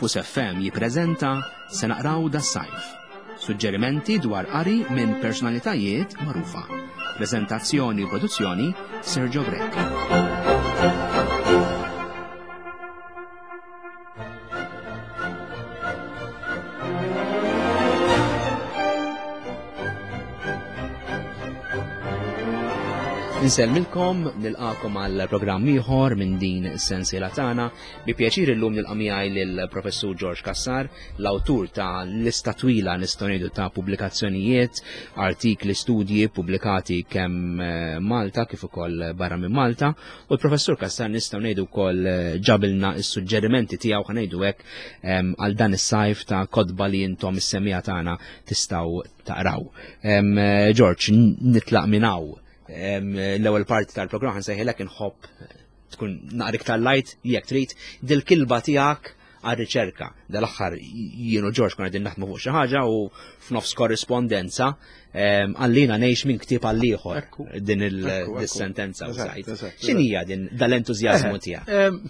Campus FM jippreżenta Se naqraw das-sajf. Suġġerimenti dwar qari minn personalitajiet magħrufa. Preżentazzjoni u produzzjoni Sergio Grech. Insellmilkom, nilqakom għal programm ieħor minn din is-sensiela tagħna. Bi pjaċir illum nilqa' miegħi lill-Professur George Cassar, l-awtur ta' lista twila nistgħu ngħidu ta' pubblikazzjonijiet, artikli, studji pubblikati kemm eh, Malta kif ukoll barra minn Malta. U l-Professur Cassar nistgħu ngħidu wkoll eh, ġabilna s-suġġerimenti tiegħu ħa ngħidu hekk għal dan is-sajf ta' kotba li intom is-semija tagħna tistgħu taqraw. Eh, George, nitlaq minn hawn l-ewwel parti tal-programm ħansejħilek inħobb tkun naqra iktar light jekk trid dil-kilba tiegħek għar-riċerka. Dal-aħħar jien u George konna qegħdin naħdmu fuq xi ħaġa u f'nofs korrispondenza ehm, għallina ngħix minn ktieb għal ieħor din il-sentenza u sajt. X'inhija din dal-entużjażmu eh, tiegħek? Ehm,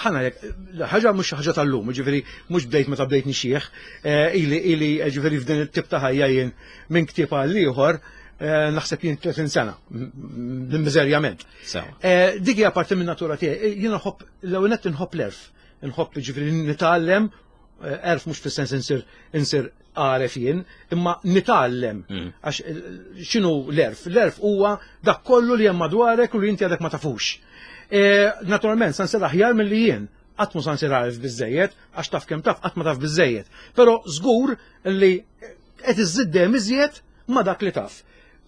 ħana jek, ħaġa mhux ħaġa tal-lum, ġifieri mhux bdejt meta bdejt nixjieħ, eh, ili ili eh, ġifieri f'din it-tip ta' ħajja jien minn ktieb għal ieħor naħseb jien 30 sena, miżerjament. Dik hija parti minn natura tiegħi, jien nħobb l-ewwel nett inħobb l-erf. Nħobb ġifieri nitgħallem, eh, erf mhux fis-sens insir insir għaref jien, imma nitgħallem. Mm. Għax eh, x'inhu l-erf? L-erf huwa dak kollu li hemm madwarek u li inti għadek ma tafux. Eh, naturalment, sa nsir aħjar milli jien, qatt mu sa nsir għaref biżejjed, għax taf kemm taf, qatt ma taf biżejjed. Però żgur li qed iżżid dejjem iżjed ma dak li taf.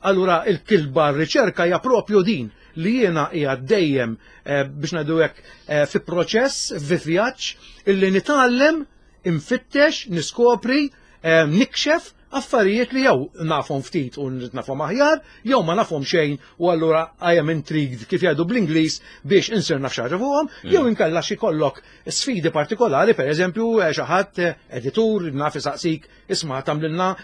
Allura il-kilba r-riċerka hija propju din li jiena hija dejjem eh, biex ngħidu hekk eh, fi proċess, fi vjaġġ illi nitgħallem, infittex, niskopri, eh, nikxef affarijiet li jew nafhom ftit u nrid nafhom aħjar, jew ma nafhom xejn u allura I am intrigued kif jgħidu bl-Ingliż biex insir naf xi ħaġa fuqhom, mm. jew inkella xi kollok sfidi partikolari, pereżempju xi ħadd editur naf isaqsik isma' tagħmlilna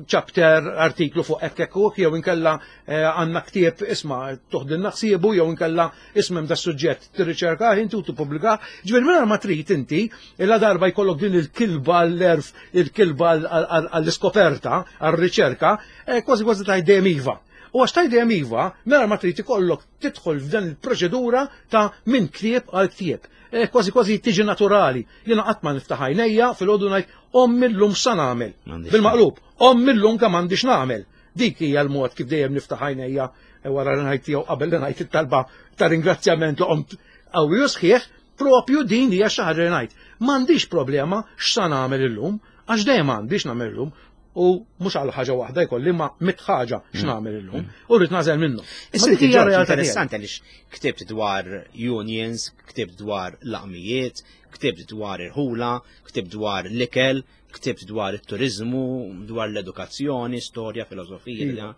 chapter, artiklu fuq hekk hekk u jew inkella eh, għandna ktieb isma' toħdilna ħsiebu jew inkella ismem da suġġett tirriċerka inti u tippubblika. Ġifieri mingħajr ma trid inti illa darba jkollok din il-kilba għall-erf, il-kilba għall-iskoperta, għar-riċerka, eh, kważi kważi tgħid dejjem iva. U għax tgħid dejjem iva, mingħajr ma trid ikollok tidħol f'dan il-proċedura ta' minn ktieb għal ktieb. Eh, kważi kważi tiġi naturali. Jiena qatt ma niftaħ għajnejja filgħodu ngħid ommi llum sa nagħmel. Bil-maqlub, ommi llum kemm għandix nagħmel. Dik hija l-mod kif dejjem niftaħ għajnejja eh, wara li ngħid jew qabel li ngħid it-talba ta' ringrazzjament li qomt qawwi u sħiħ, propju din hija xi ħaġa li ngħid. M'għandix problema x'sa nagħmel illum, għax dejjem għandix nagħmel illum u mhux għal ħaġa waħda jkolli ma mit ħaġa mm. x'nagħmel illum mm. u rrid nagħżel minnu. Issa dik hija realtà interessanti għaliex ktibt dwar unions, ktibt dwar laqmijiet, ktibt dwar irħula, ktibt dwar l-ikel, ktibt dwar it-turizmu, dwar l-edukazzjoni, storja, filosofija,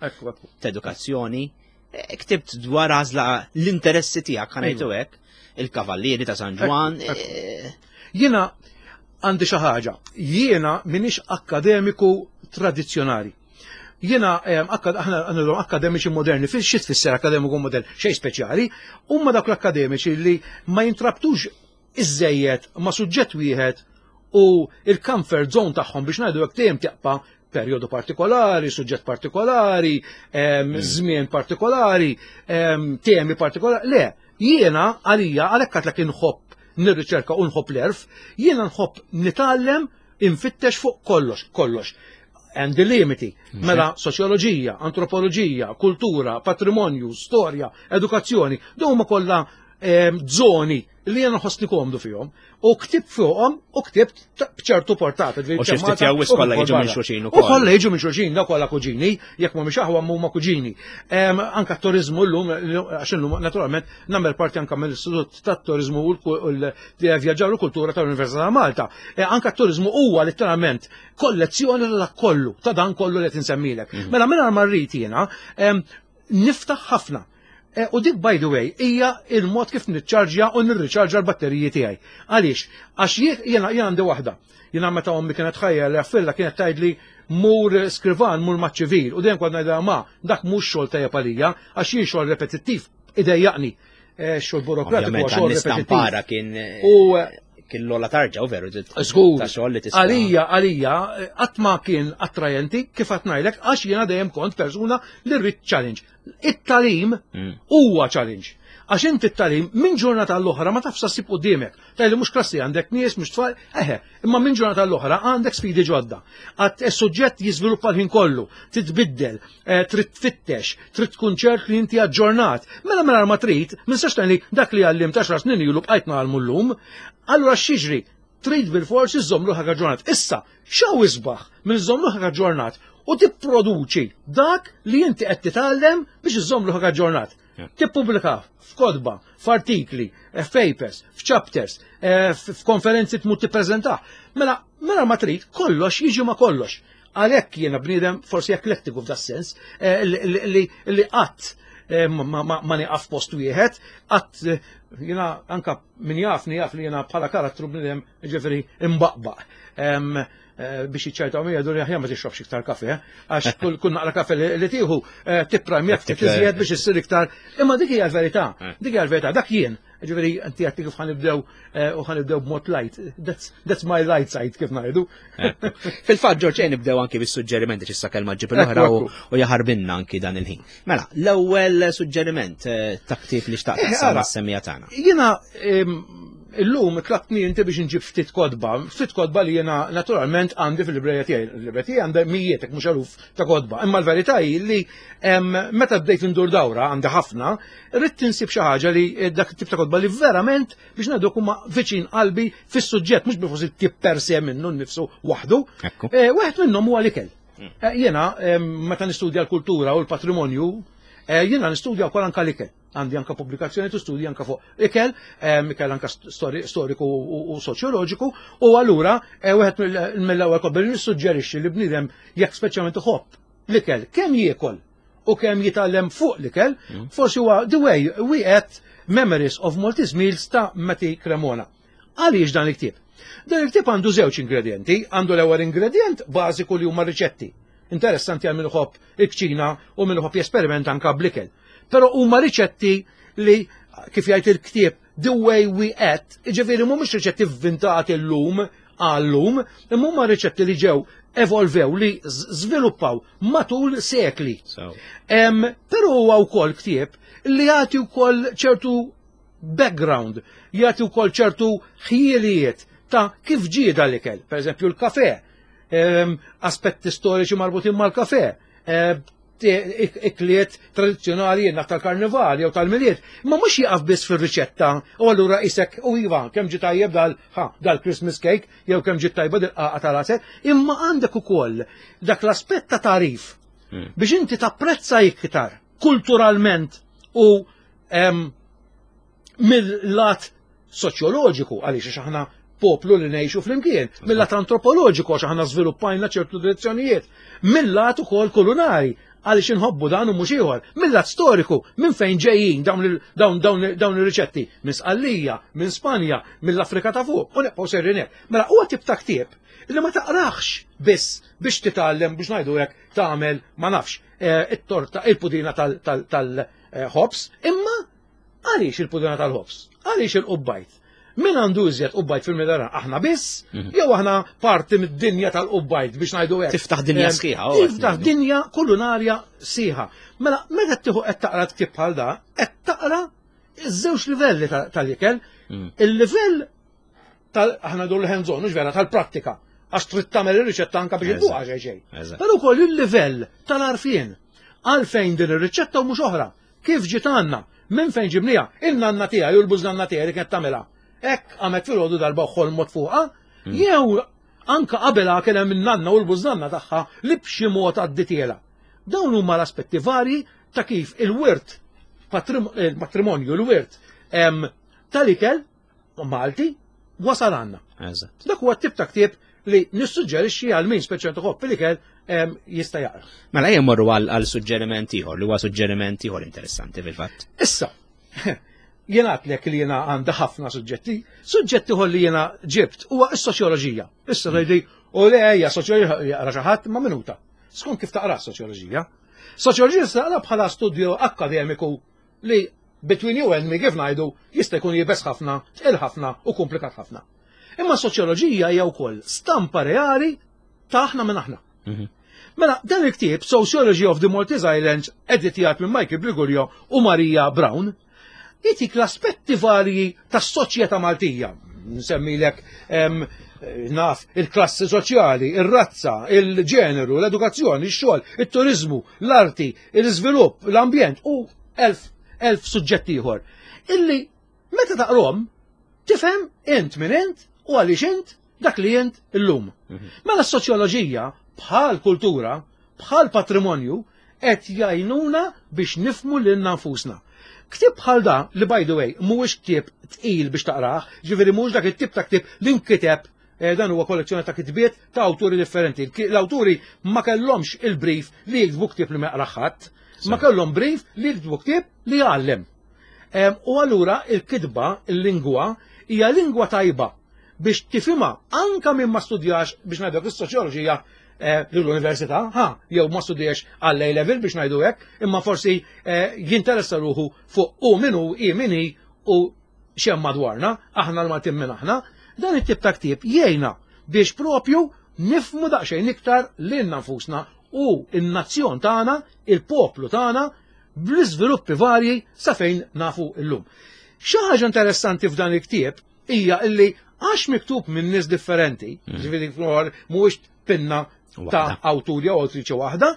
edukazzjoni. Eh, ktibt dwar għażla l-interessi tiegħek ħanajtu iva. hekk, il-kavallieri ta' San Ġwan. Eh, Jiena għandi xi ħaġa, jiena minix akkademiku tradizzjonali. Jiena eh, aħna għandhom akademiċi moderni, fil xi tfisser akademiku modern, xejn speċjali, huma dawk l-akademiċi li ma jintrabtux iżżejjed ma' suġġett wieħed u il-comfort zone tagħhom biex ngħidu hekk dejjem teqpa' perjodu partikolari, suġġett partikolari, mm. żmien partikolari, temi partikolari. Le, jiena għalija għalhekk għatlek inħobb nirriċerka u nħobb l-erf, jiena nħobb nitgħallem infittex fuq kollox, kollox. And the limiti, mhm. mela soċjoloġija, antropoloġija, kultura, patrimonju, storja, edukazzjoni, dawn huma kollha zoni li jena nħossni komdu fihom u ktib fuqhom u ktibt b'ċertu portata. U xi ftit jew kollha jiġu minn xulxin ukoll. U kollha jiġu minn xulxin, da kollha kuġini, jekk mhumiex aħwa huma kuġini. Anka t-turizmu llum, għax illum naturalment nagħmel parti anka mill-Istitut tat-Turizmu u l-Vjaġġar u Kultura tal-Università ta' Malta. E, anka t-turizmu huwa letteralment kollezzjoni ta' kollu, ta' dan kollu li qed insemmilek. Mhm. Mela mingħajr ma rrid jiena niftaħ ħafna Eh, u dik by the way hija il-mod kif niċċarġja u nirriċarġa l-batteriji tiegħi. Għaliex? Għax jiena jiena għandi waħda. Jiena meta ommi kienet ħajja li għaffilla kienet tgħidli mur skrivan mur maċ-ċivil u dejjem kont ngħidha ma dak mhux xogħol tajjeb għalija għax jien xogħol repetittiv idejjaqni. Eh, xogħol burokratiku xogħol repetittiv. kien U eh, l-ola tarġa u veru Żgur. Ta' xogħol li tista' Għalija, għalija, qatt ma kien attrajenti kif qed ngħidlek għax jiena dejjem kont persuna li rrid challenge. It-talim mm. huwa challenge. Għax inti t-talim minn ġurnata l-oħra ma tafx ssib quddiemek. Tajli mhux klassi għandek nies, mhux tfal, eħe, imma minn ġurnata l-oħra għandek sfidi ġodda. Għat is-suġġett jiżviluppa l-ħin kollu, titbiddel, eh, trid tfittex, trid tkun ċert li inti aġġornat. Mela mela ma trid, minn sax li dak li għallim ta' xar snin ilu bqajt nagħlmu llum, allura x'jiġri? Trid bil-forsi żżomm ruħek aġġornat. Issa, x'hawn isbaħ minn żżomm ruħek aġġornat u tipproduċi dak li inti qed titgħallem biex iżżomm ruħek aġġornat. Tippubblika f'kotba, f'artikli, eh, f'papers, f'chapters, eh, f'konferenzi tmur tippreżentah. Mela, mela ma trid, kollox jiġi ma kollox. Għalhekk jiena bniedem forsi eklektiku f'da sens eh, li qatt ma nieqaf post wieħed, qatt jiena anka min jafni jaf li jiena bħala karattru bniedem ġifieri imbaqbaq. Eh, biex jiċċajtaw mi jgħidu li aħjar ma tixrobx iktar kafe, għax kull naqra kafe li tieħu eh, tipprajm jekk tiżjed biex issir iktar. Imma dik hija l-verità, eh. dik hija l-verità, dak jien. Ġifieri inti għedti kif ħanibdew u ħanibdew b'mod light. That's, that's my light side kif ngħidu. Fil-fatt Ġorġ nibdew anki bis-suġġerimenti x'issa kelma ġib l-oħra u jaħarbinna anki dan il-ħin. Mela, l-ewwel suġġeriment ta' ktieb li xtaqt mas-semija tagħna. Jiena Illum tlabtni inti biex nġib ftit kotba, ftit kotba li jiena naturalment għandi fil-librerija tiegħi. Il-librerija tiegħi għandha mijiet mhux eluf ta' kotba. Imma l-verità hi li meta bdejt indur dawra għandi ħafna, rrid insib xi ħaġa li eh, dak it-tip ta' kotba li verament biex ngħidu huma viċin qalbi fis-suġġett mhux bil it-tip per se minnu nnifsu waħdu. Eh, wieħed minnhom huwa l-ikel. Mm. Eh, jiena meta nistudja l-kultura u l-patrimonju, jiena nistudja wkoll anke l-ikel. Għandi anka pubblikazzjoni tu studji anka fuq ikel, ikel anka storiku u soċjoloġiku, u allura eh, wieħed mill-ewwel kobel nissuġġerixxi li bniedem jekk speċjalment iħobb l-ikel kemm jiekol u kemm jitgħallem fuq l-ikel, mm. forsi huwa The Way We Ate Memories of Maltese Meals ta' Matti Cremona. Għaliex dan il-ktieb? Dan il-ktieb għandu żewġ ingredienti, għandu l-ewwel ingredient bażiku li huma riċetti. Interessanti għal min iħobb il-kċina u min iħobb jesperimenta anka bl-ikel. Però huma riċetti li kif jgħid il-ktieb The Way We Ate, jiġifieri mhumiex riċetti vvintati llum għal-lum, imma huma riċetti li ġew evolvew li żviluppaw matul sekli. Però huwa wkoll ktieb li jagħti wkoll ċertu background, jagħti wkoll ċertu ħjielijiet ta' kif ġie dal-ikel. Per eżempju l-kafe, aspetti storiċi marbutin mal-kafe, ikliet tradizzjonali jenna tal-karnival jew tal-miliet, ma mhux jieqaf biss fir-riċetta u allura isek u iva kemm ġi tajjeb dal ha dal-Christmas cake jew kemm ġi tajba dil-qaqa tal-għasel, imma għandek ukoll dak l-aspett ta' tarif hmm. biex inti tapprezza iktar kulturalment u mill-lat soċjoloġiku għaliex għax aħna poplu li ngħixu flimkien, mill-lat antropoloġiku għax aħna żviluppajna ċertu direzzjonijiet, mill-lat ukoll kulunari għaliex inħobbu dan u mhux ieħor, mill-lat storiku minn fejn ġejjin dawn dawn ir-riċetti, minn Sqallija, minn Spanja, mill-Afrika ta' fuq, u nibqgħu sejrin hekk. Mela huwa tip ta' ktieb li ma taqraħx biss biex titgħallem biex ngħidu hekk tagħmel ma nafx eh, it-torta, il-pudina tal-ħobs, imma Għaliex il-pudina tal-ħobż? Għaliex il-qubbajt? Min għandu iżjed qubbajt fil-Mediterran? Aħna biss? Mhm. Jew aħna parti mid-dinja tal-qubbajt biex ngħidu hekk? Tiftaħ dinja eh, sħiħa. Oh, tiftaħ dinja kulinarja sħiħa. Mela, meta tieħu qed taqra tkib bħal da, qed taqra iż-żewġ livelli tal-ikel. Mm. Il-livell tal aħna dur l-hands-on, mhux vera, tal-prattika. Għax trid tagħmel ir-riċetta anke biex idduqa xejn xejn. Però wkoll il-livell tal-arfien. Għalfejn din ir-riċetta u mhux oħra. Kif ġiet għandna? Minn fejn ġibniha? In-nanna tiegħi u l-bużnanna tiegħi li kienet tagħmilha. Hekk qamet filgħodu darba u ħolmot fuqha, mm. jew anka qabilha kien hemm in-nanna u l-bużnanna tagħha li b'xi mod għadditielha. Dawn huma l-aspetti varji ta' kif il-wirt il-patrimonju, il-wirt tal-ikel Malti wasal għandna. Dak huwa tip ta' ktieb li nissuġġerixxi għal min speċjalment iħobb l-ikel jista' jaqra. Mela ejja morru għal suġġeriment ieħor li huwa suġġeriment ieħor interessanti fil-fatt. Issa, jien għatlek li jiena għandha ħafna suġġetti, suġġetti ieħor li jiena ġibt huwa s-soċjoloġija. Issa tgħidli u le hija soċjoloġija jaqra xi ħadd ma' minuta. Skont kif taqra s-soċjoloġija. Soċjoloġija taqra bħala studju akkademiku li between you and me kif ngħidu jista' jkun jibes ħafna, tqil ħafna u komplikat ħafna. Imma soċjoloġija hija wkoll stampa reali ta' aħna minn aħna. Mela, dan il-ktieb Sociology of the Maltese Islands, editjat minn Michael Briguglio u Maria Brown, jitik l-aspetti varji tas-soċjetà Maltija. Nsemmilek naf il-klassi soċjali, ir-razza, il-ġeneru, l-edukazzjoni, ix-xogħol, it-turizmu, l-arti, l-iżvilupp, l-ambjent u elf suġġett ieħor. Illi meta taqrom tifhem int min int u għaliex int dak li int illum. Mela s-soċjoloġija bħal kultura, bħal patrimonju, qed jgħinuna biex nifhmu lilna nfusna. Ktieb bħal da, li by the way, mhuwiex ktieb tqil biex taqrah, ġifieri mhuwiex dak it-tip ta' ktieb li nkiteb dan huwa kollezzjoni ta' kitbiet ta' awturi differenti. L-awturi ma kellhomx il-brief li jiktbu ktieb li ma jaqrah ħadd, ma kellhom brief li jiktbu ktieb li jgħallem. U allura il-kitba, il-lingwa, hija lingwa tajba biex tifhimha anka min ma studjax biex ngħidu is-soċjoloġija l-università, ha, jew ma studjax għall A level biex ngħidu hekk, imma forsi jinteressa ruħu fuq u min hu, i min hi u x'hemm madwarna, aħna l-Maltin minn aħna, dan it-tip ta' ktieb jgħinna biex propju nifhmu daqsxejn iktar lilna nfusna u n-nazzjon tagħna, il-poplu tagħna, bl-iżviluppi varji sa fejn nafu llum. Xi ħaġa interessanti f'dan il-ktieb hija illi għax miktub minn nies differenti, ġifieri mhuwiex pinna ta' awtur jew awtriċi waħda,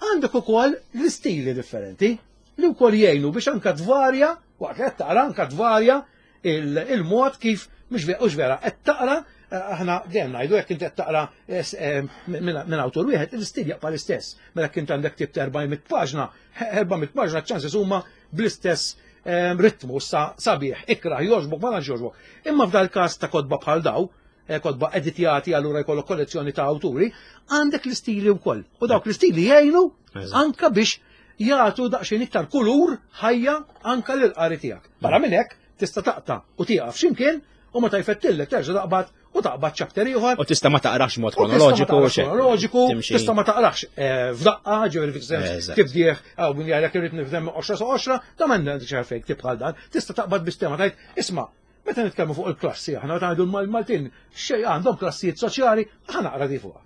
għandek ukoll l-istili differenti li wkoll jgħinu biex anka tvarja, waqt li qed taqra anka tvarja il-mod kif mhux vera qed taqra, aħna dejjem ngħidu jekk inti qed taqra minn awtur wieħed, l-istil jaqpa' l-istess. Mela jekk inti għandek ktieb ta' 400 paġna, 400 paġna ċ-chances huma bl-istess ritmu sa sabiħ, ikrah, jogħġbok, ma tantx jogħġbok. Imma f'dal każ ta' kotba bħal daw, kotba editjati allura jkollok kollezzjoni ta' awturi, għandek l-istili wkoll. U dawk l-istili jgħinu anka biex jagħtu daqsxejn iktar kulur ħajja anka lil qari tiegħek. Barra minn hekk tista' taqta' u tieqaf x'imkien u meta jfettillek terġa' taqbad u taqbad chapter ieħor. U tista' ma taqrax mod kronoloġiku. Kronoloġiku, tista' ma taqrax f'daqqa, ġifieri fis-sens tibdieħ, għaw min jgħidlek irrid nifhem 10 sa 10, ta' m'għandek għalfejn ktieb bħal dan, tista' taqbad bis-tema tgħid, isma' meta nitkellmu fuq il-klassi, aħna meta ngħidu l-Maltin xejn għandhom klassijiet soċjali, aħna naqra di fuqha.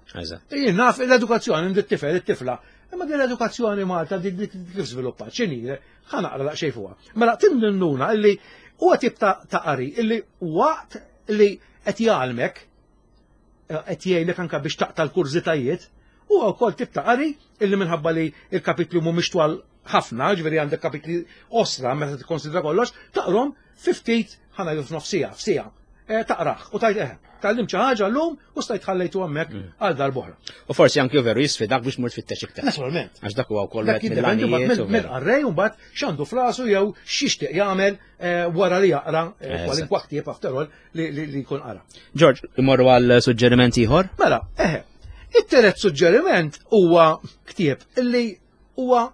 Jien naf l-edukazzjoni ndi t-tifel, it-tifla, imma din l-edukazzjoni Malta di kif żviluppat, x'inhi, ħa naqra daqsxejn fuqha. Mela tinnuna illi huwa tip ta' qari illi waqt li qed jgħallmek, qed jgħinek anka biex taqta' l-kurżitajiet, huwa wkoll tip ta' qari illi minħabba li l-kapitli mhumiex twal ħafna, ġifieri għandek kapitli osra meta tikkonsidra kollox, taqrom fi ftit, ħa ngħidu f'nofs siegħa, f'siegħa, taqrah u tgħid eħe, tgħallimt xi ħaġa llum u stajt ħallejtu hemmhekk għal darb'oħra. U forsi anki veru jisfidak biex mur tfittex iktar. Naturalment. Għax dak huwa wkoll Dak wieħed jiddependi mbagħad mill-għanijiet u veru. mill-qarrej u mbagħad x'għandu f'rasu jew x'jixtieq jagħmel wara li jaqra kwalinkwa ktieb after all li jkun qara. George, imorru għal suġġeriment ieħor? Mela, eħe. It-tielet suġġeriment huwa ktieb illi huwa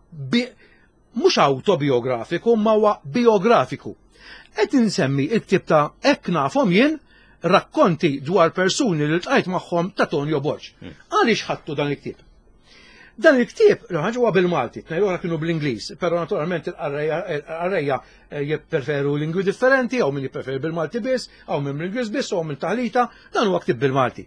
mhux autobiografiku, ma huwa biografiku. Qed insemmi il-ktieb ta' Hekk nafhom jien, rakkonti dwar persuni li ltqajt magħhom ta' Tonio Borg. Għaliex ħadtu dan il-ktieb? Dan il-ktieb, l-ħaġa huwa bil-Malti, tnejn oħra kienu bl-Ingliż, però naturalment il-qarrejja jippreferu lingwi differenti, hawn min jippreferi bil-Malti biss, hawn min bl-Ingliż biss, hawn min taħlita, dan huwa ktieb bil-Malti.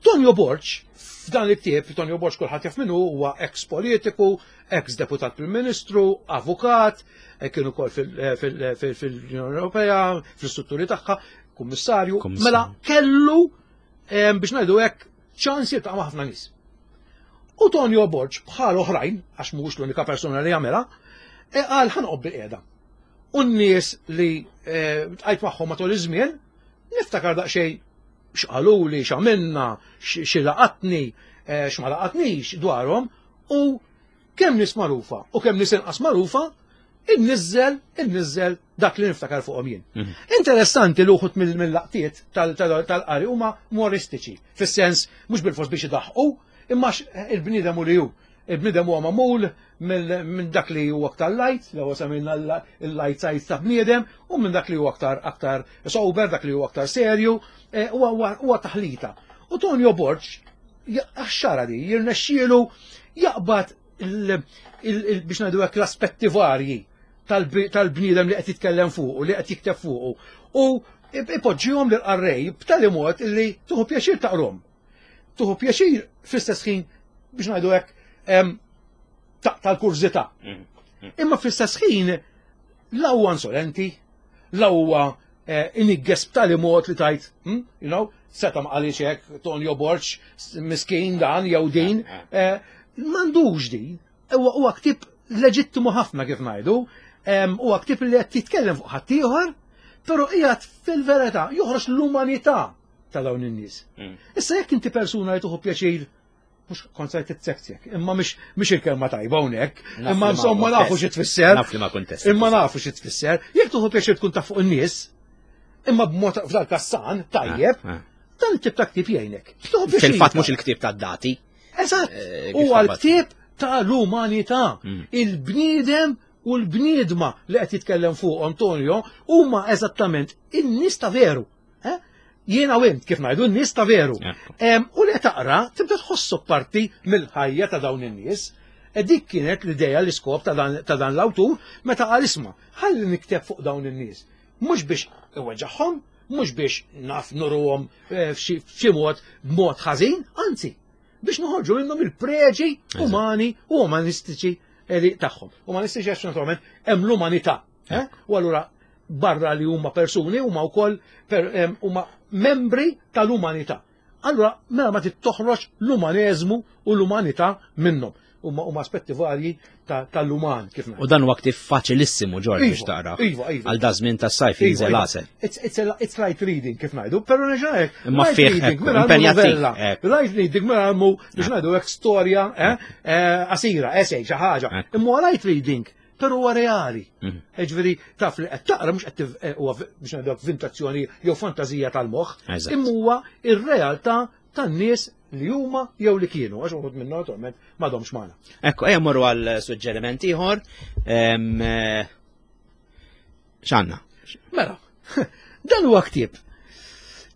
Tonio Borg, f'dan il-ktieb, Tonio Borg kulħadd jaf min hu, huwa ex-politiku, ex-deputat Prim Ministru, avukat, kien ukoll fil-Unjoni Ewropea, fl-istrutturi tagħha, kummissarju, mela kellu biex ngħidu hekk ċans jiltaqa' ma' ħafna nies. U Tonio Borg bħal oħrajn, għax mhuwiex l-unika persuna li jagħmilha, qal ħa noqgħod bil-qiegħda. U n-nies li tqajt magħhom matul iż-żmien, niftakar daqsxejn x'qaluli, x'għamilna, xi laqatni, x'ma laqatnix dwarhom, u kemm nies magħrufa u kemm nies inqas magħrufa, inniżżel dak li niftakar fuqhom jien. Interessanti li uħud mill-laqtiet tal-qari huma umoristiċi, fis-sens mhux bil-fors biex idaħqu, imma il-bniedem u li hu. Il-bniedem huwa magħmul minn dak li huwa aktar light, li huwa semmejna l-light side ta' bniedem, u minn dak li huwa aktar sober, dak li huwa aktar serju, huwa taħlita. U Tonio Borg, għax-xara di, jirnexxielu jaqbad biex ngħidu hekk l-aspetti varji tal-bniedem li qed jitkellem fuqu, li qed jikteb fuqu. U ipoġġihom lil qarrej b'tali mod illi tuħu pjaċir taqrom. Tuħu pjaċir fl-istess ħin biex ngħidu hekk tal-kurżità. Imma fl-istess ħin la huwa insolenti, la huwa eh, inigges b'tali mod li tajt, you know, seta ma qalix hekk Tonio Borg, miskin dan jew din, eh, eh. m'għandux din. Huwa ktieb leġittimu ħafna kif ngħidu, huwa ktieb li qed jitkellem fuq ħaddieħor, però qiegħed fil-verità joħroġ l-umanità ta' dawn in-nies. Issa jekk inti persuna li tuħu pjaċir mhux kont se titsektsek, imma mhix il-kelma tajba hawnhekk, imma insomma nafu xi tfisser. Naf li ma kuntest. Imma nafu xi tfisser. Jekk tuħu pjaċir tkun taf fuq in-nies, imma b'mod f'dal kassan tajjeb, ah, ah. dan it-tip ta' ktieb jgħinek. Fil-fatt mhux il-ktieb tad-dati. Eżatt, eh, huwa l-ktieb tal-umanità. Il-bniedem u l-bniedma li qed jitkellem fuq Antonio huma eżattament in-nies ta' veru. Eh? Jiena u int kif ngħidu n-nies ta' veru. U li taqra tibda tħossok parti mill-ħajja ta' dawn in-nies. E dik kienet l-idea l-iskop ta' dan l-awtur meta qal isma' ħalli nikteb fuq dawn in-nies. Mhux biex iweġġagħhom, mhux biex naf nuruhom eh, f'xi mod b'mod ħażin, anzi, biex noħorġu minnhom il-preġi umani u umanistiċi eh, tagħhom. Umanistiċi għax naturalment hemm l-umanità. Eh? U allura barra li huma persuni huma wkoll huma membri tal-umanità. Allura mela ma toħroġ l-umaneżmu u l-umanità minnhom. Huma huma aspetti varji tal-uman kif U dan huwa ktif faċilissimu Ġorġ biex iva, taqra. Iva, iva. Għal da żmien tas-sajf iva, jinżel iva. għasel. It's light reading kif ngħidu, però nerġa' hekk. Imma fih impenjattiv. Light reading mela għammu biex ngħidu hekk storja eh, eh, qasira, essay, xi ħaġa. Imma light reading Però huwa reali. Ġifieri taf li qed taqra mhux qed eh, huwa biex ngħidu vintazzjoni jew fantażija tal-moħħ, imma huwa ir-realtà tan-nies li huma jew li kienu, għax uħud minnhom naturalment m'għadhomx magħna. Ekku, ejja morru għal suġġeriment ieħor. Eh, x'għandna? Mela, dan huwa ktieb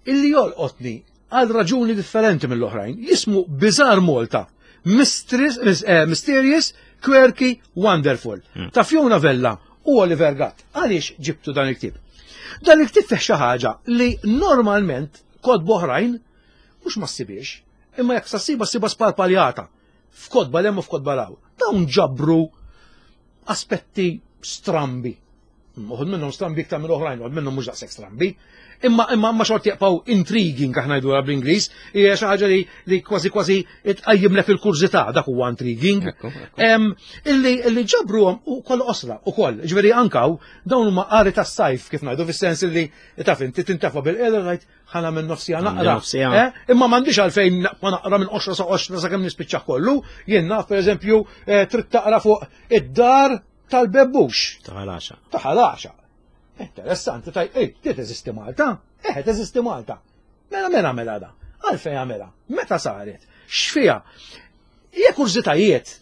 illi jolqotni għal raġuni differenti mill-oħrajn. Jismu Bizarre Malta, eh, Mysterious, Quirky, Wonderful. Ta' Fiona Vella u Oliver Gatt. Għaliex ġibtu dan il-ktieb? Dan il-ktieb fih xi ħaġa li normalment kotba oħrajn mhux ma ssibiex, imma jekk sa ssiba ssiba sparpaljata f'kotba 'l hemm u f'kotba 'l hawn. Dawn ġabru aspetti strambi. Uħud minnhom strambi iktar minn oħrajn, uħud minnhom mhux daqshekk strambi. Imma imma ma xorti jaqpaw intriguing aħna ngħidu bl-Ingliż, hija xi ħaġa li li kważi kważi tqajjimlek il-kurżità dak huwa intriguing. Illi illi ġabruhom ukoll qosra ukoll, ġifieri ankaw dawn huma qari tas-sajf kif ngħidu fis-sens illi taf inti tintefa' bil-qiegħda ngħid ħana minn nofsija naqra. Eh? Imma m'għandix għalfejn ma naqra minn qoxra sa qoxra sakemm nispiċċa kollu. Jien naf pereżempju eh, trid taqra fuq id-dar tal-bebbux. Ta' ħalaxa. Ta' ħalaxa. Interessanti, taj, ej, ti teżisti Malta? Eh, teżisti Malta. Mela mela mela da. Għalfejn għamela? Meta saret? X'fiha? Hija kurżitajiet.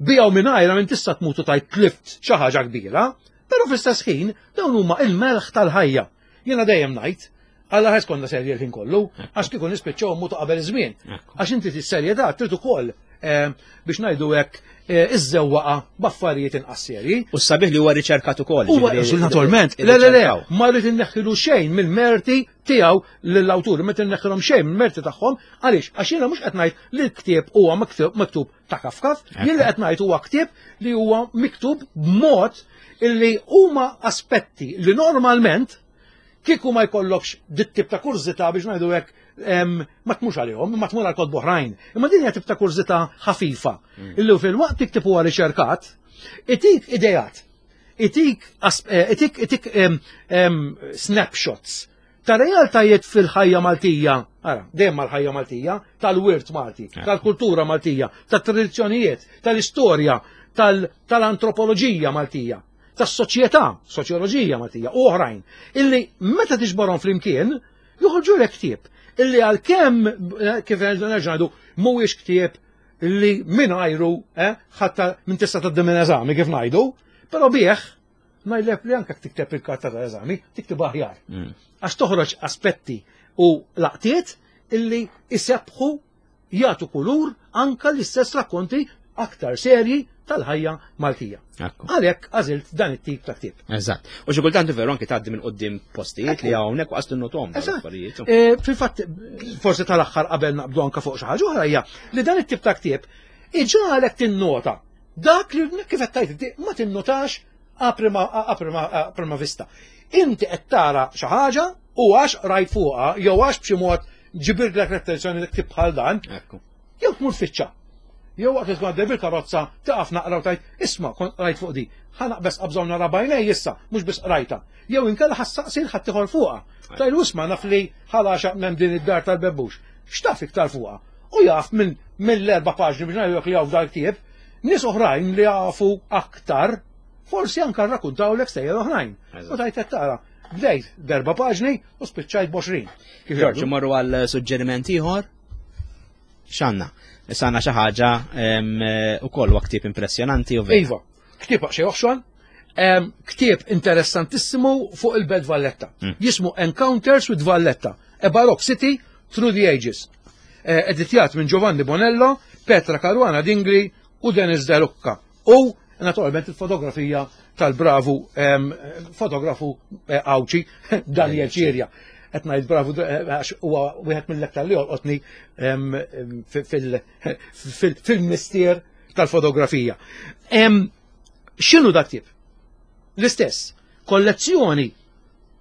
Bijaw mingħajra minn tista' tmutu tajt tlift xi ħaġa kbira, però fl-istess ħin dawn huma il-melħ tal-ħajja. Jiena dejjem ngħid, Alla ħes konna serji l-ħin kollu, għax kieku nispiċċaw mutu qabel iż-żmien. Għax inti tis-serjetà trid ukoll eh, biex ngħidu hekk eh, iżżewwaqa b'affarijiet inqas serji. U sabiħ li huwa riċerkat ukoll. Huwa naturalment, le le le, ma rrid inneħħilu xejn mill-merti tiegħu lill-awtur, ma inneħħilhom xejn mill-merti tagħhom, għaliex għax jiena mhux qed ngħid li l-ktieb huwa miktub ta' kafkaf, jien li qed ngħid huwa ktieb li huwa miktub b'mod illi huma aspetti li normalment kieku ma jkollokx dit tip ta' kurżità biex ngħidu hekk ma tmux għalihom, ma tmur għal kotba oħrajn. Imma din hija tip ta' kurżità ħafifa. Illi fil-waqt li ktieb huwa riċerkat, itik idejat, itik eh, itik itik snapshots ta' realtajiet fil-ħajja Maltija, ara, dejjem mal-ħajja Maltija, tal-wirt Malti, tal-kultura Maltija, tat-tradizzjonijiet, tal-istorja, tal-antropoloġija Maltija, tas-soċjetà, soċjoloġija Maltija u oħrajn, illi meta tiġborhom flimkien joħorġu lek ktieb illi għalkemm eh, kif nerġa' ngħidu mhuwiex ktieb li mingħajru eh, ħatta minn tista' tgħaddi minn eżami kif ngħidu, però bih ngħidlek li anke tikteb il-karta tal-eżami, tikteb aħjar. Għax toħroġ aspetti u laqtiet illi isebħu jagħtu kulur anka l-istess rakkonti aktar serji tal-ħajja Maltija. Għalhekk għażilt dan it-tip ta' ktieb. Eżatt. U xi kultant veru anki tgħaddi minn quddiem postijiet li hawnhekk waqas tinnotom. Eżatt. E, fil-fatt forsi tal-aħħar qabel naqbdu anke fuq xi ħaġa oħra hija li dan it-tip ta' ktieb iġagħlek tinnota dak li kif qed tgħid ma tinnotax a prima vista. Inti qed tara xi ħaġa u għax rajt fuqha jew għax b'xi mod ġibirlek l-attenzjoni li ktib bħal dan. Jew tmur tfittxa. Jew waqt li tkun għaddej bil-karozza taqaf naqra u tgħid, isma' kont qrajt fuq di. Ħa naqbeż qabża u nara b'għajnej issa, mhux biss qrajtha. Jew inkella ħa ssaqsi 'l ħaddieħor fuqha. Tgħidlu isma' naf li Ħal Għaxaq m'hemm din id-dar tal-bebbux. X'taf iktar fuqha? U jaf minn mill-erba' paġni biex ngħidulek li hawn f'dal-ktieb, nies oħrajn li jafu aktar forsi anke rrakuntawlek stejjer oħrajn. U tgħid qed tara, bdejt b'erba' paġni u spiċċajt b'għoxrin. Ġorġ, imorru għal suġġeriment ieħor? X'għandna? Issa għandna xi ħaġa ukoll huwa ktieb impressjonanti u vera. Iva, ktieb xi oħxon, ktieb interessantissimu fuq il-Belt Valletta. Hmm. Jismu Encounters with Valletta, a Baroque City Through the Ages. Eh, editjat minn Giovanni Bonello, Petra Caruana Dingli u Dennis De Lucca. U naturalment il-fotografija tal-bravu fotografu eh, Għawċi Daniel Ċirja. Qed ngħid bravu eh, għax huwa wieħed mill-aktar li jolqotni fil-mistier tal-fotografija. X'inhu dak tip? L-istess, kollezzjoni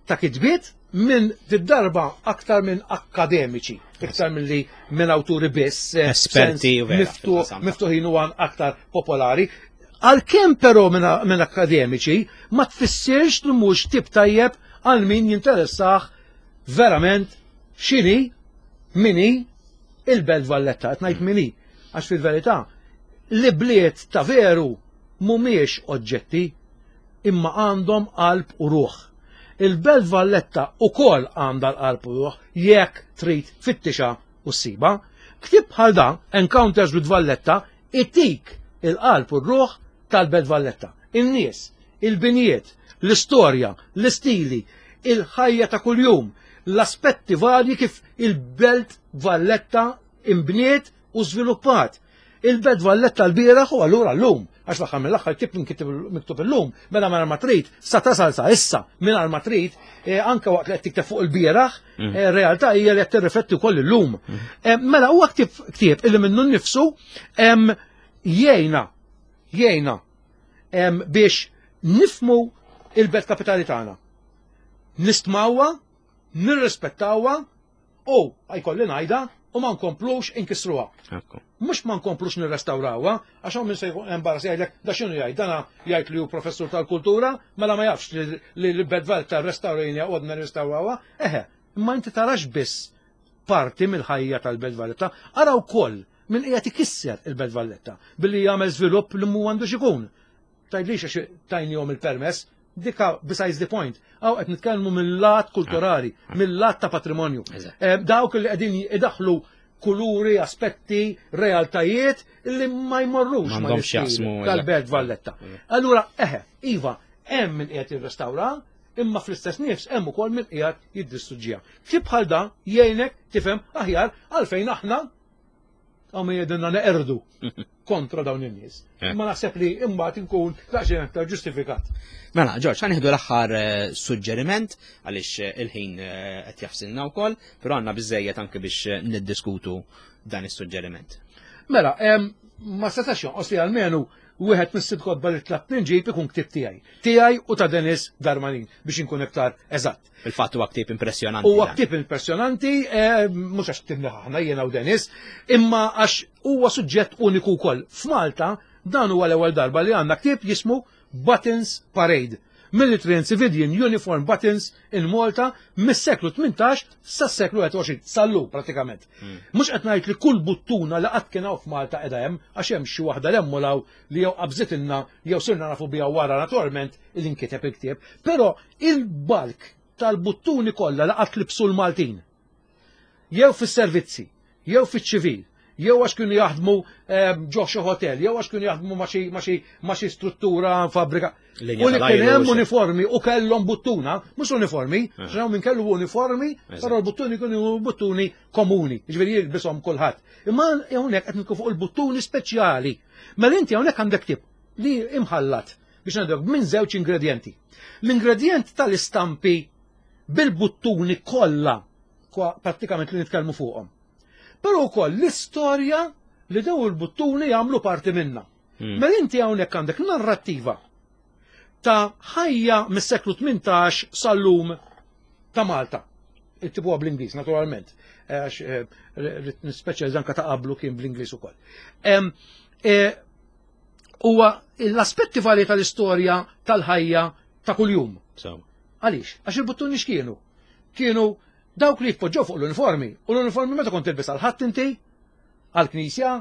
ta' kitbiet minn darba aktar minn akkademiċi, iktar minn li minn awturi biss, eh, esperti miftuħin u aktar popolari. Għalkemm però minn akkademiċi ma tfissirx li mhux tip tajjeb għal min jinteressah verament x'inhi mini il-Belt Valletta, qed ngħid mini, għax fil-verità li bliet ta' veru mhumiex oġġetti imma għandhom qalb u ruħ. Il-Belt Valletta ukoll għandha l-qalb u ruħ jekk trid tfittixha u ssibha. Ktieb bħal dan, Encounters with Valletta, itik il-qalb u r-ruħ tal-Belt Valletta. In-nies, il-binjiet, l-istorja, l-istili, il-ħajja ta' kuljum, l-aspetti varji kif il-Belt Valletta inbniet u żviluppat. Il-Belt Valletta l-bieraħ u allura llum, għax l-aħħar mill-aħħar ktieb miktub illum, mela mingħajr ma trid, sa tasal sa issa mingħajr ma trid, eh, anke waqt li qed tikteb fuq il-bieraħ, mm. eh, realtà hija li qed tirrifletti wkoll illum. Mm. Eh, mela huwa ktieb ktieb illi minnu nnifsu jgħinna jgħinna biex nifmu il-belt kapitali tagħna. Nistmawha, nirrispettawha U, jkolli ngħidha, u ma nkomplux inkissruha. Mhux ma nkomplux nirrestawrawha, għax hawn min se jkun embarrass jgħidlek da x'inhu jgħid, dana jgħid li hu professur tal-kultura, mela ma jafx li l-Belt Valletta rrestawrejniha u għadna nirrestawrawha. Eħe, imma inti tarax biss parti mill-ħajja tal-Belt Valletta, ara wkoll min qiegħed ikisser il-Belt Valletta billi jagħmel żvilupp li mhu għandux ikun. Tgħidlix għax tajnihom il-permess, dika besides the point. Hawn qed nitkellmu mill-lat kulturali, ah. mill-lat ta' patrimonju. Eh, dawk li qegħdin idaħlu kuluri, aspetti, realtajiet li ma jmorrux ma tal-Belt Valletta. Allura, eħe, iva, hemm min qiegħed jirrestawra, imma fl-istess nifs hemm ukoll min qiegħed jiddistruġġiha. Ktieb bħal dan jgħinek tifhem aħjar għalfejn aħna Għaw min jgħidilna neqerdu kontra dawn in-nies. Eh. Ma naħseb li imbagħad inkun daqsxejn aktar ġustifikat. Mela, Ġorġ, ħa nieħdu l-aħħar eh, suġġeriment għaliex eh, il-ħin qed jafsilna wkoll, però għandna biżejjed anke biex niddiskutu dan is-suġġeriment. Mela, ma setax jonqos li għalmenu wieħed mis-sitt kotba li tlabt inġib ikun ktieb tiegħi. Tiegħi u ta' Dennis Darmanin biex inkun iktar eżatt. Fil-fatt huwa ktieb impressjonanti. Huwa ktieb impressjonanti, eh, mhux għax ktibni aħna jiena u Dennis, imma għax huwa suġġett uniku wkoll. F'Malta dan huwa l-ewwel darba li għandna ktieb jismu Buttons Parade. Military and Civilian Uniform Buttons in Malta mis-seklu 18 sas-seklu 21, sal-lum pratikament. Hmm. Mhux qed ngħid li kull buttuna li qatt kien hawn f'Malta qiegħda hemm, għax hemm xi waħda l-hemm u li jew qabżitilna jew sirna nafu biha wara naturalment li nkiteb il-ktieb, però il-balk tal-buttuni kollha li qatt libsu l-Maltin. Jew fis-servizzi, jew fiċ-ċivil, jew għax kienu jaħdmu ehm, ġo xi hotel, jew għax kienu jaħdmu ma' xi struttura fabbrika. U li kien hemm uniformi u kellhom buttuna, mhux uniformi, eh. x'hawn min kellu uniformi, però l-buttuni kienu buttuni komuni, jiġifieri jilbishom kulħadd. Imma hawnhekk qed fuq il-buttuni speċjali. Mela inti hawnhekk għandek tip. li imħallat biex ngħidlek minn żewġ ingredjenti. L-ingredjent tal-istampi bil-buttuni kollha prattikament li nitkellmu fuqhom. Però wkoll l-istorja li daw il-buttuni jagħmlu parti minna. Mela inti hawnhekk għandek narrattiva ta' ħajja mis-seklu 18 sal-lum ta' Malta. Ittibuha bl-Ingliż, naturalment, għax rrid nispeċjalizza anke ta' qablu kien bl-Ingliż ukoll. Huwa l-aspetti varji tal-istorja tal-ħajja ta' kuljum. Għaliex? Għax il-buttuni x'kienu? Kienu dawk li jitpoġġew fuq l-uniformi. U l-uniformi meta kont tilbis għal ħadd inti? Għall-knisja?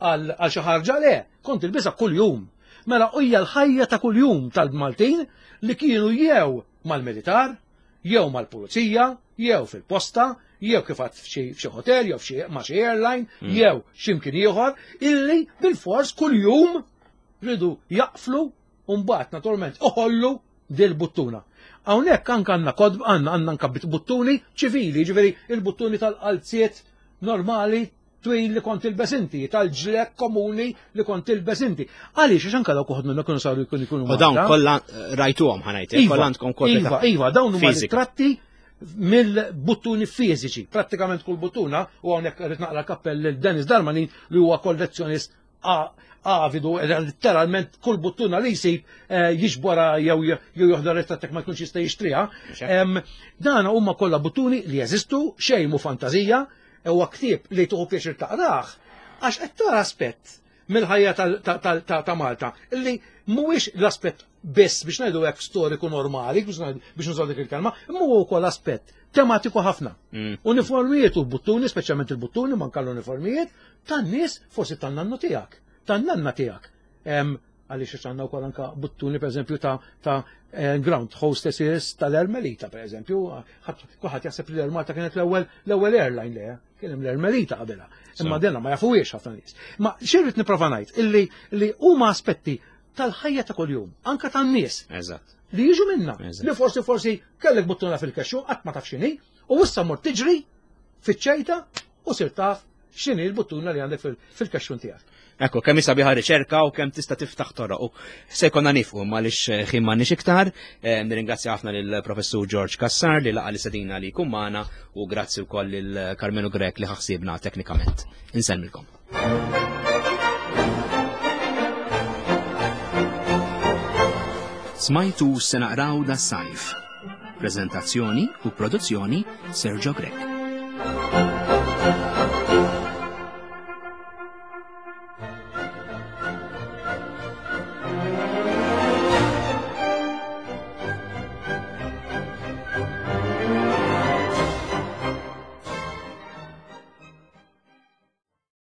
Għal xi ħarġa? Le, kont tilbisha kuljum. Mela hija l-ħajja ta' kuljum tal-Maltin li kienu jew mal-militar, jew mal-pulizija, jew fil-posta, jew kif għad f'xi hotel, jew f'xi ma' xi airline, jew x'imkien ieħor, illi bil-fors kuljum ridu jaqflu u mbagħad naturalment uħollu dil-buttuna. Hawnhekk anke għandna kodb, għandna anke buttuni ċivili, ġifieri il-buttuni tal-qalziet normali twil li kont tilbes inti, tal-ġlek komuni li kont tilbes inti. Għaliex, għax anke dawk uħud minnhom kienu saru jkunu jkunu U dawn kollha rajtuhom ħanajt, Iva, kollha għandkom kopja Iva, ta' iva, dawn huma fiżika. ritratti mill-buttuni fiżiċi. Prattikament kull buttuna, u hawnhekk rrid naqra kappell lil Dennis Darmanin li huwa kollezzjonist avidu, letteralment kull buttuna li jsib jiġbora jew joħda ritratt jekk ma jkunx jista' jixtriha. Dan huma kollha buttuni li jeżistu, xejn mhu fantazija, huwa ktieb li tieħu pjaċir taqrah, għax qed tara aspett mill-ħajja ta' Malta li mhuwiex l-aspett biss biex ngħidu hekk storiku normali, biex nużaw dik il-kelma, imma huwa wkoll aspett tematiku ħafna. Uniformijiet u buttuni, speċjalment il-buttuni, manka l-uniformijiet, tan-nies forsi tan-nannu tiegħek, tan-nanna tiegħek. Għaliex għax għandna wkoll anka buttuni pereżempju ta' ground hostesses tal-Air Melita pereżempju, kulħadd jaħseb li l-Air Malta kienet l-ewwel airline le, kien hemm l-Air Melita qabilha. Imma dena ma jafuhiex ħafna nies. Ma xi rrid nipprova ngħid illi li huma aspetti tal-ħajja ta' kuljum, anka tan-nies. Li jiġu minna, li forsi kellek buttuna fil-kexxu, qatt ma taf x'inhi, u issa mort tiġri fiċ-ċejta u sir taf x'inhi l-buttuna li għandek fil-kexxun tiegħek. Ekku, kemm sabiħa riċerka u kemm tista' tiftaħ toroq. U se jkollna nifqu għaliex ħin m'għandniex iktar. Nirringrazzja ħafna lill-Professur George Cassar li laqa' l-istedina li jkun magħna u grazzi wkoll lil Carmelo Grech li ħaħsibna teknikament. Insellmilkom. Smajtu se naqraw da sajf. Prezentazzjoni u produzzjoni Sergio Grech.